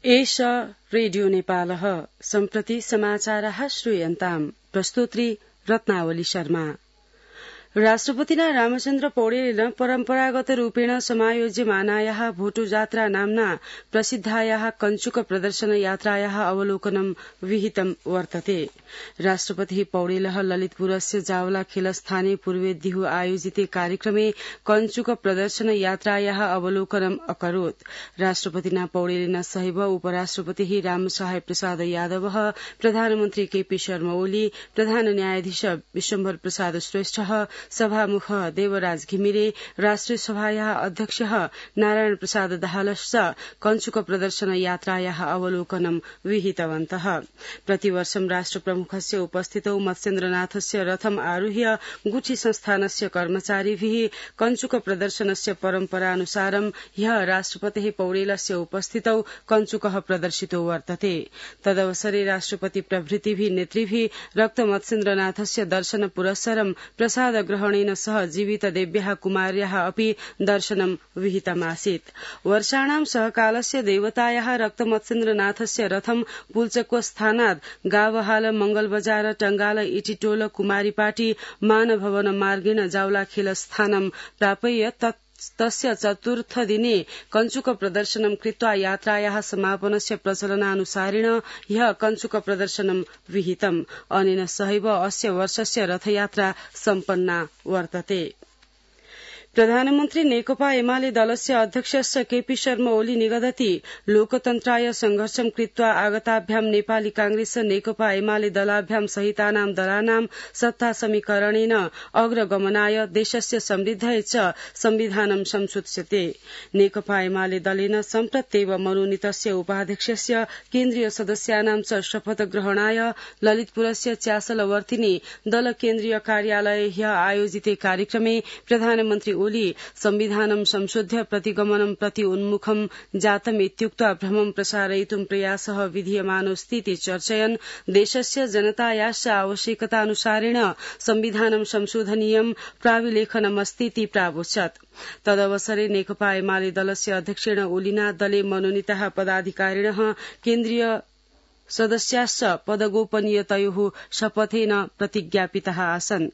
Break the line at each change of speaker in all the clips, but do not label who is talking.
एष रेडियो नेपालः सम्प्रति समाचारः श्रूयन्ताम् प्रस्तोत्री रत्नावली शर्मा। राष्ट्रपतिना रामचन्द्र पौडेलेन परम्परागत रूपेण समायोज्यमानायाः भोटो जात्रा नाम्ना प्रसिद्धायाः कञ्चुक प्रदर्शन यात्रायाः अवलोकनं विहितं वर्तते। राष्ट्रपतिः पौडेलः ललितपुरस्य जावला खेलस्थाने पूर्वेद्युः आयोजिते कार्यक्रमे कञ्चुक प्रदर्शन यात्रायाः अवलोकनम् अकरोत्। राष्ट्रपतिना पौडेलेन सहैव उपराष्ट्रपतिः रामसहाय प्रसाद यादवः, प्रधानमन्त्री केपी शर्मा ओली, प्रधान न्यायाधीश विश्वम्भर प्रसाद श्रेष्ठः, सभामुख देवराज घिमिरे, राष्ट्रिय सभायाः अध्यक्षः नारायण प्रसाद दाहालश्च कञ्चुक प्रदर्शन यात्रायाः अवलोकनं विहितवन्तः। प्रतिवर्षं राष्ट्रप्रमुखस्य उपस्थितौ मत्स्येन्द्रनाथस्य रथम् आरुह्य गुठी संस्थानस्य कर्मचारिभिः कञ्चुक प्रदर्शनस्य परम्परानुसारं ह्यः राष्ट्रपतेः पौडेलस्य उपस्थितौ कञ्चुकः प्रदर्शितो वर्तते। तदवसरे राष्ट्रपति प्रभृतिभिः नेतृभिः रक्त मत्स्येन्द्रनाथस्य दर्शन पुरस्सरं प्रसाद ग्रहणेन सह जीवित देव्याः कुमार्याः अपि दर्शनं विहितमासीत्। वर्षाणां सहकालस्य देवतायाः रक्त मत्स्येन्द्रनाथस्य रथं पुल्चको-स्थानात् गावहाल, मंगलबजार, टंगाल, इटिटोल, कुमारीपाटी, मानभवन मार्गेण जावला खेलस्थानं प्रापय्य तस्य चतुर्थ दिने कञ्चुक प्रदर्शनं कृत्वा यात्रायाः समापनस्य प्रचलनानुसारेण ह्यः कञ्चुक प्रदर्शनं विहितम्। अनेन सहैव अस्य वर्षस्य रथयात्रा सम्पन्ना वर्तते। प्रधानमन्त्री नेकपा एमाले दलस्य अध्यक्षस्य केपी शर्मा ओली निगदति लोकतन्त्राय संघर्षं कृत्वा आगताभ्यां नेपाली कांग्रेस नेकपा एमाले दलाभ्यां सहितानां दलानां सत्ता समीकरणेन अग्रगमनाय देशस्य समृद्धये च संविधानं संशोध्स्यते। नेकपा एमाले दलेन सम्प्रत्येव मनोनीतस्य उपाध्यक्षस्य केन्द्रीय सदस्यानां च शपथ ग्रहणाय ललितपुरस्य च्यासलवर्तिनी दल केन्द्रीय कार्यालये ह्यः आयोजिते कार्यक्रमे प्रधानमन्त्री ओली संविधानं संशोध्य प्रतिगमनं प्रति उन्मुखं जातम् इत्युक्त्वा भ्रमं प्रसारयितुं प्रयासः विधीयमानोऽस्तीति चर्चयन् देशस्य जनतायाश्च आवश्यकतानुसारेण संविधानं संशोधनीयं प्राविलेखनमस्तीति प्रावोचत्। तदवसरे नेकपा एमाले दलस्य अध्यक्षेण ओलिना दले मनोनीताः पदाधिकारिणः केन्द्रीय सदस्याश्च पदगोपनीयतयोः शपथेन प्रतिज्ञापिताः आसन्।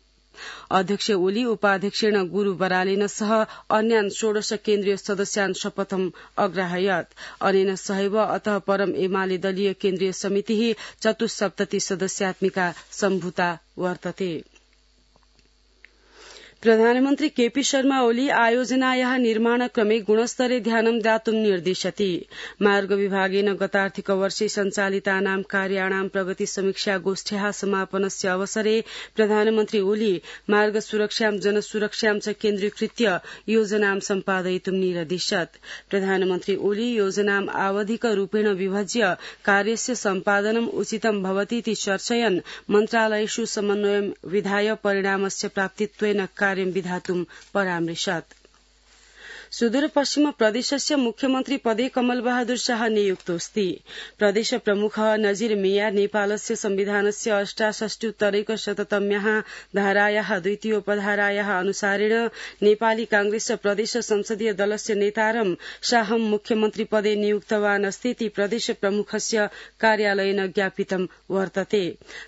अध्यक्ष ओली उपाध्यक्षेण गुरु बरालेन सह अन्यान् 16 केन्द्रीय सदस्यान् शपथम् अग्राहयत्। अनेन सहैव अतः परं एमाले दलीय केन्द्रीय समितिः 74 सदस्यात्मिका सम्भूता वर्तते। प्रधानमन्त्री केपी शर्मा ओली आयोजनायाः निर्माणक्रमे गुणस्तरे ध्यानं दातुं निर्दिशति। मार्ग विभागेन गतार्थिक वर्षे सञ्चालितानां कार्याणां प्रगति समीक्षा गोष्ठ्याः समापनस्य अवसरे प्रधानमन्त्री ओली मार्ग सुरक्षां जनसुरक्षां च केन्द्रीकृत्य योजनां सम्पादयितुं निर्दिशत्। प्रधानमन्त्री ओली योजनाम् आवधिक रूपेण विभज्य कार्यस्य सम्पादनम् उचितं भवतीति चर्चयन् मन्त्रालयेषु समन्वयं विधाय परिणामस्य प्राप्तित्वेन कार्यं विधातुं परामृशत्। सुदूरपश्चिम प्रदेशस्य मुख्यमन्त्री पदे कमल बहादुर शाह नियुक्तोऽस्ति। प्रदेश प्रमुखः नजीर मिया नेपालस्य संविधानस्य 68-उत्तरैकशततम्याः धारायाः द्वितीयोपधारायाः अनुसारेण नेपाली कांग्रेस प्रदेश संसदीय दलस्य नेतारं शाहं मुख्यमन्त्री पदे नियुक्तवान् अस्तीति प्रदेश प्रमुखस्य कार्यालयेन ज्ञापितं वर्तते।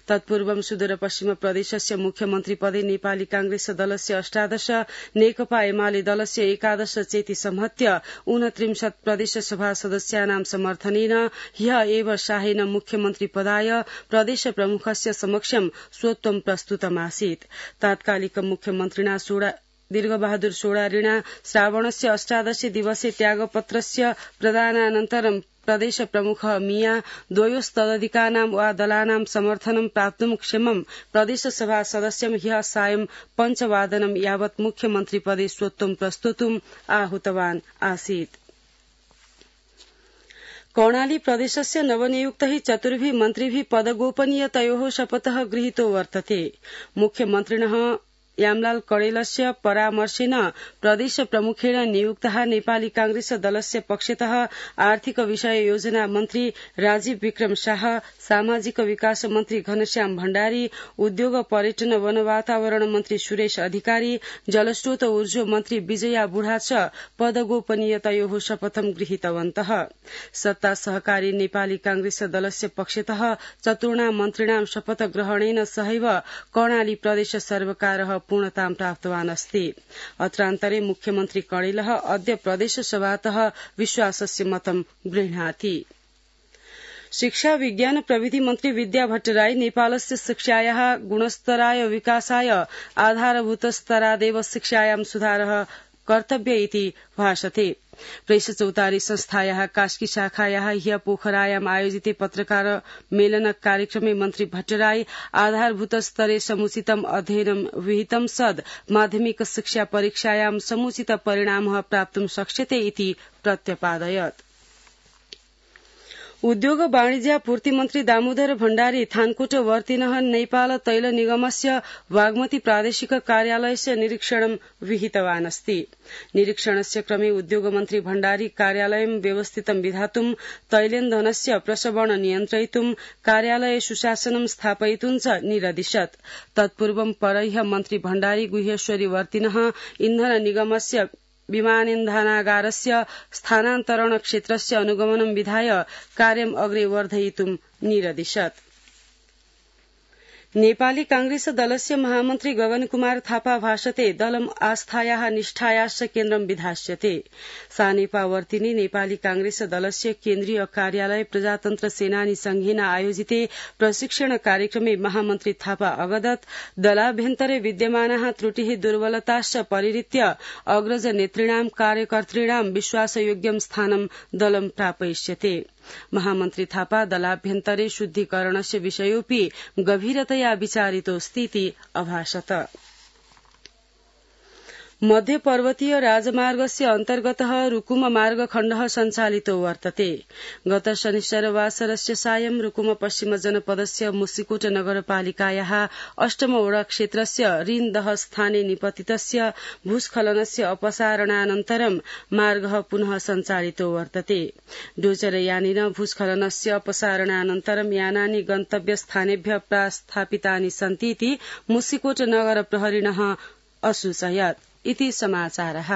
तत्पूर्वं सुदूरपश्चिम प्रदेशस्य मुख्यमन्त्री पदे नेपाली कांग्रेस दलस्य 18, नेकपा एमाले दलस्य 11 चेति संहत्य 29 प्रदेशसभा सदस्यानां समर्थनेन ह्यः एव शाहेन मुख्यमन्त्री पदाय प्रदेश प्रमुखस्य समक्षं स्वत्वं प्रस्तुतमासीत्। तात्कालिक मुख्यमन्त्रिणा दीर्घबहादुर सोडारिणा श्रावणस्य 18 दिवसे त्यागपत्रस्य प्रदानानन्तरं प्रदेश प्रमुख मिया द्वयोस्तदधिकानां वा दलानां समर्थनं प्राप्तुं क्षमं प्रदेशसभा सदस्यं ह्यः सायं 5 यावत् मुख्यमन्त्री पदे स्वत्वं प्रस्तुतुम् आहूतवान् आसीत्। कर्णाली प्रदेशस्य नवनियुक्तैः 4 मन्त्रिभिः पदगोपनीयतयोः शपथः गृहीतो वर्तते। मुख्यमन्त्रिणः यामलाल कडेलस्य परामर्शेन प्रदेश प्रमुखेण नियुक्तः नेपाली कांग्रेस दलस्य पक्षतः आर्थिक विषय योजना मन्त्री राजीव विक्रम शाह सामाजिक विकास मन्त्री घनश्याम भण्डारी उद्योग पर्यटन वन वातावरण मन्त्री सुरेश अधिकारी जलस्रोत ऊर्जा मन्त्री विजया बुढा च पदगोपनीयतयोः शपथं गृहीतवन्तः सत्ता सहकारी नेपाली कांग्रेस दलस्य पक्षतः चतुर्णां मन्त्रिणां शपथ ग्रहणेन सहैव कर्णाली प्रदेश सर्वकारः पूर्णतां प्राप्तवान् अस्ति अत्रान्तरे मुख्यमन्त्री कणेलः अद्य प्रदेशसभातः विश्वासस्य मतं गृह्णाति शिक्षा विज्ञान प्रविधि मन्त्री विद्या भट्टराई नेपालस्य शिक्षायाः गुणस्तराय विकासाय आधारभूतस्तरादेव शिक्षायां सुधारः कर्तव्य इति भाषते प्रेस चौतारी संस्थायाः कास्की शाखायाः ह्य पोखरायाम् आयोजिते पत्रकार मेलन कार्यक्रमे मन्त्री भट्टराई आधारभूत स्तरे समुचितम् अध्ययनं विहितं सद् माध्यमिक शिक्षा परीक्षायां समुचित परिणामः प्राप्तुं शक्ष्यते इति प्रत्यपादयत् उद्योग वाणिज्यापूर्ति मन्त्री दामोदर भण्डारी थानकोट वर्तिनः नेपाल तैल निगमस्य बागमती प्रादेशिक कार्यालयस्य निरीक्षणं विहितवान् अस्ति निरीक्षणस्य क्रमे उद्योगमन्त्री भण्डारी कार्यालयं व्यवस्थितं विधातुं तैलेन्धनस्य प्रसवण नियन्त्रयितुं कार्यालये सुशासनं स्थापयितुं च निरदिशत् तत्पूर्वं परह्य मन्त्री भण्डारी गुह्येश्वरी वर्तिनः इन्धन निगमस्य विमानेन्धनागारस्य स्थानान्तरण क्षेत्रस्य अनुगमनं विधाय कार्यम् अग्रे वर्धयितुं निरदिशत् नेपाली कांग्रेस दलस्य महामन्त्री गगन कुमार थापा भाषते दलम् आस्थायाः निष्ठायाश्च केन्द्रं विधास्यते सानेपा वर्तिने नेपाली कांग्रेस दलस्य केन्द्रीय कार्यालय प्रजातन्त्र सेनानी संघेन आयोजिते प्रशिक्षण कार्यक्रमे महामन्त्री थापा अवदत् दलाभ्यन्तरे विद्यमानाः त्रुटिः दुर्बलताश्च परिहृत्य अग्रज नेतृणां कार्यकर्तॄणां विश्वासयोग्यं स्थानं दलं प्रापयिष्यते महामन्त्री थापा दलाभ्यन्तरे शुद्धीकरणस्य विषयोऽपि गभीरतया विचारितोऽस्तीति अभाषत मध्य पर्वतीय राजमार्गस्य अन्तर्गतः रुकुम मार्गखण्डः सञ्चालितो वर्तते गत शनिश्चरवासरस्य सायं रुकुम पश्चिम जनपदस्य मुसिकोट नगरपालिकायाः अष्टमवडा क्षेत्रस्य रीन्दह स्थाने निपतितस्य भूस्खलनस्य अपसारणानन्तरं मार्गः पुनः सञ्चालितो वर्तते डोजरयानेन भूस्खलनस्य अपसारणानन्तरं यानानि गन्तव्यस्थानेभ्यः प्रस्थापितानि सन्तीति मुसिकोट नगर प्रहरिणः असूचयत् इति समाचारः।